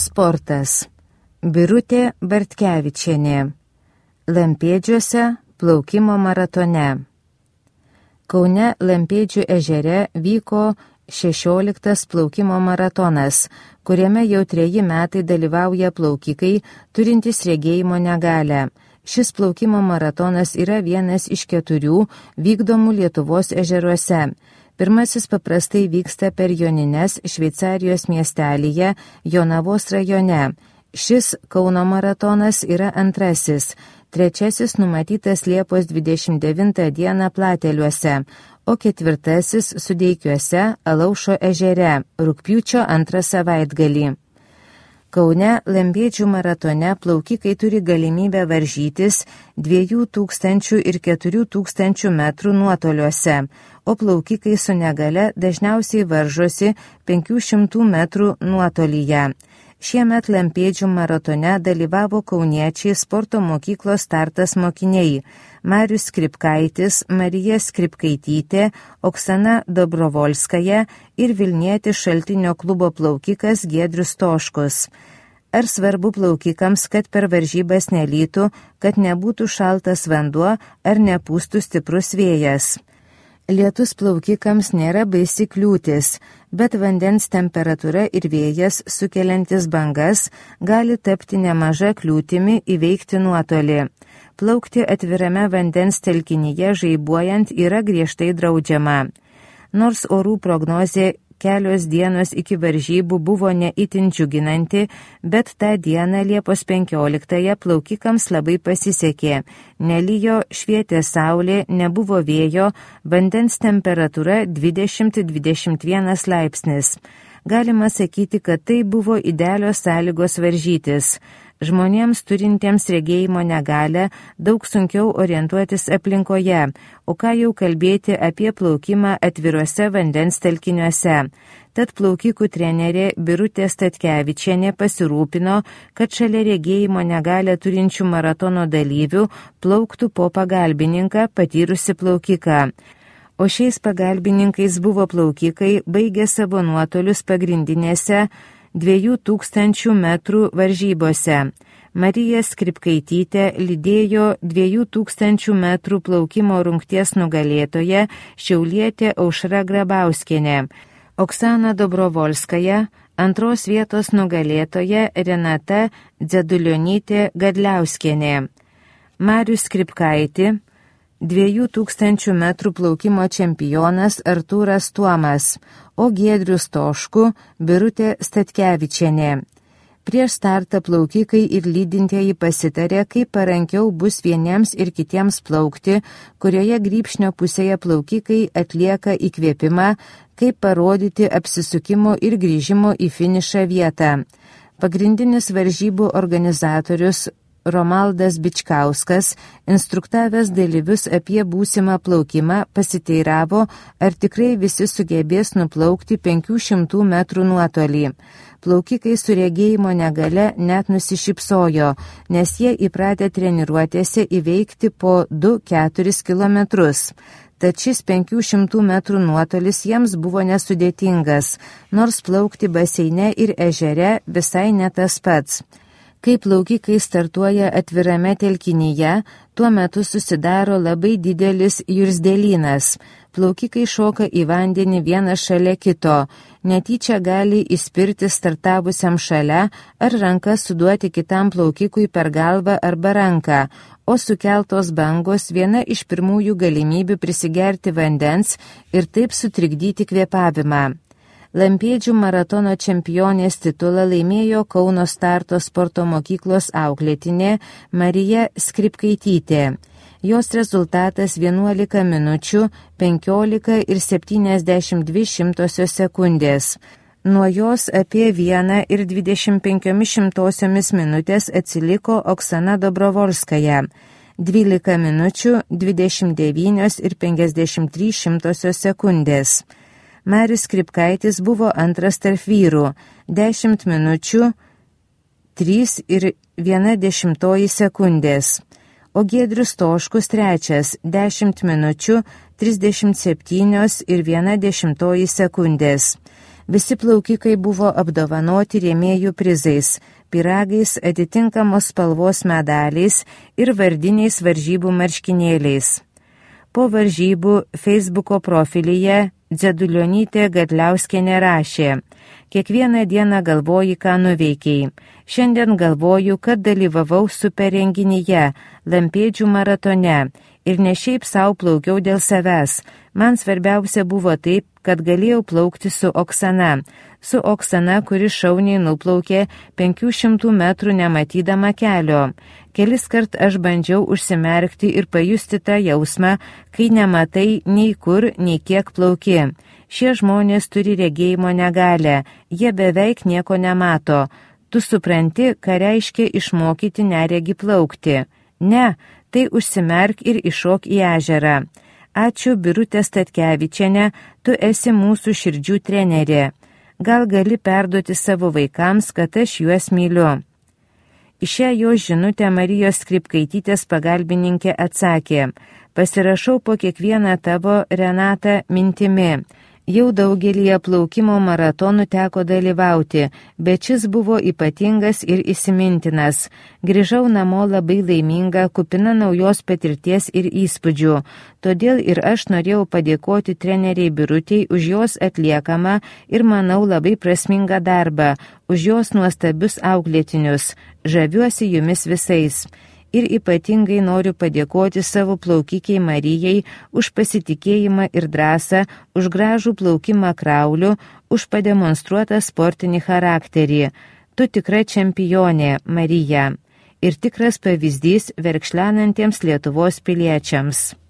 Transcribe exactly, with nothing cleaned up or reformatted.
Sportas. Birutė Bartkevičienė. Lampėdžiuose plaukimo maratone. Kaune Lampėdžių ežere vyko šešioliktas plaukimo maratonas, kuriame jau treji metai dalyvauja plaukikai turintys regėjimo negalią. Šis plaukimo maratonas yra vienas iš keturių vykdomų Lietuvos ežeruose. Pirmasis paprastai vyksta per Jonines Šveicarijos miestelyje Jonavos rajone. Šis Kauno maratonas yra antrasis. Trečiasis numatytas Liepos dvidešimt devintą dieną Plateliuose, o ketvirtasis Sudeikiuose Alaušo ežere rugpjūčio antrą savaitgalį. Kaune Lampėdžių maratone plaukikai turi galimybę varžytis dviejų tūkstančių ir keturių tūkstančių metrų nuotoliuose, o plaukikai su negale dažniausiai varžosi penkių šimtų metrų nuotolyje. Šiemet Lampėdžių maratone dalyvavo kauniečiai sporto mokyklos Startas mokiniai Marius Skripkaitis, Marija Skripkaitytė, Oksana Dobrovolskaja ir Vilnietis Šaltinio klubo plaukikas Giedrius Toškus. Ar svarbu plaukikams, kad per varžybas nelytų, kad nebūtų šaltas vanduo ar nepūstų stiprus vėjas? Lietus plaukikams nėra baisi kliūtis, bet vandens temperatūra ir vėjas sukeliantis bangas gali tapti nemaža kliūtimi įveikti nuotolį. Plaukti atvirame vandens telkinyje žaibuojant yra griežtai draudžiama. Nors orų prognozė kelios dienos iki varžybų buvo ne itin džiuginanti, bet tą dieną Liepos penkioliktąją plaukikams labai pasisekė. Nelijo, švietė saulė, nebuvo vėjo, vandens temperatūra dvidešimt dvidešimt vienas laipsnis. Galima sakyti, kad tai buvo idealios sąlygos varžytis. Žmonėms turintiems regėjimo negalią daug sunkiau orientuotis aplinkoje, o ką jau kalbėti apie plaukimą atviruose vandens telkiniuose. Tad plaukikų trenerė Birutė Statkevičienė pasirūpino, kad šalia regėjimo negalią turinčių maratono dalyvių plauktų po pagalbininką patyrusi plaukiką. O šiais pagalbininkais buvo plaukikai baigę savo nuotolius pagrindinėse dviejų tūkstančių metrų varžybose. Marija Skripkaitytė lydėjo dviejų tūkstančių metrų plaukimo rungties nugalėtoje šiaulietė Aušra Grabauskienė. Oksana Dobrovolskaja, antros vietos nugalėtoja Renata Dzedulionytė Gadliauskienė. Marius Skripkaitį, dviejų tūkstančių metrų plaukimo čempionas Artūras Tuomas, o Giedrius Toškų Birutė Statkevičienė. Prieš startą plaukikai ir lydintieji pasitarė, kaip parankiau bus vieniems ir kitiems plaukti, kurioje grybšnio pusėje plaukikai atlieka įkvėpimą, kaip parodyti apsisukimo ir grįžimo į finišą vietą. Pagrindinis varžybų organizatorius Romaldas Bičkauskas, instruktavęs dalyvius apie būsimą plaukimą, pasiteiravo, ar tikrai visi sugebės nuplaukti penkių šimtų metrų nuotolį. Plaukikai su regėjimo negale net nusišypsojo, nes jie įpratę treniruotėse įveikti po du keturis kilometrus. Tad šis penkių šimtų metrų nuotolis jiems buvo nesudėtingas, nors plaukti baseine ir ežere visai ne tas pats. Kai plaukikai startuoja atvirame telkinyje, tuo metu susidaro labai didelis jursdelynas. Plaukikai šoka į vandenį vienas šalia kito, netyčia gali įspirti startavusiam šalia ar ranką suduoti kitam plaukikui per galvą arba ranką, o sukeltos bangos viena iš pirmųjų galimybių prisigerti vandens ir taip sutrikdyti kvėpavimą. Lampėdžių maratono čempionės titulą laimėjo Kauno Starto sporto mokyklos auklėtinė Marija Skripkaitytė. Jos rezultatas vienuolika minučių, penkiolika ir septyniasdešimt dvi šimtosios sekundės. Nuo jos apie vieną ir dvidešimt penkiomis šimtosiomis minutės atsiliko Oksana Dobrovolskaja. dvylika minučių, dvidešimt devynios ir penkiasdešimt trys šimtosios sekundės. Marius Skripkaitis buvo antras tarp vyrų, dešimt minučių, trys ir viena dešimtoji sekundės. O Giedrius Toškus trečias, dešimt minučių, trisdešimt septynios ir viena dešimtoji sekundės. Visi plaukikai buvo apdovanoti rėmėjų prizais, pyragais, atitinkamos spalvos medaliais ir vardiniais varžybų marškinėliais. Po varžybų Facebooko profilyje Dzedulionytė Gadliauskienė rašė: kiekvieną dieną galvoji, ką nuveikiai. Šiandien galvoju, kad dalyvavau super renginyje, Lampėdžių maratone ir ne šiaip savo plaukiau dėl savęs. Man svarbiausia buvo taip, kad galėjau plaukti su Oksana. Su Oksana, kuri šauniai nuplaukė penkių šimtų metrų nematydama kelio. Kelis kart aš bandžiau užsimerkti ir pajusti tą jausmą, kai nematai nei kur, nei kiek plauki. Šie žmonės turi regėjimo negalę, jie beveik nieko nemato. Tu supranti, ką reiškia išmokyti neregį plaukti. Ne, tai užsimerk ir iššok į ežerą. Ačiū, Birutė Statkevičienė, tu esi mūsų širdžių trenerė. Gal gali perduoti savo vaikams, kad aš juos myliu. Į šią jo žinutę Marijos Skripkaitytės pagalbininkė atsakė: pasirašau po kiekvieną tavo, Renata, mintimi. Jau daugelį plaukimo maratonų teko dalyvauti, bet šis buvo ypatingas ir įsimintinas. Grįžau namo labai laiminga, kupina naujos patirties ir įspūdžių. Todėl ir aš norėjau padėkoti treneriai Birutei už jos atliekamą ir, manau, labai prasmingą darbą, už jos nuostabius auklėtinius. Žaviuosi jumis visais. Ir ypatingai noriu padėkoti savo plaukikiai Marijai už pasitikėjimą ir drąsą, už gražų plaukimą krauliu, už pademonstruotą sportinį charakterį. Tu tikra čempionė, Marija, ir tikras pavyzdys verkšlenantiems Lietuvos piliečiams.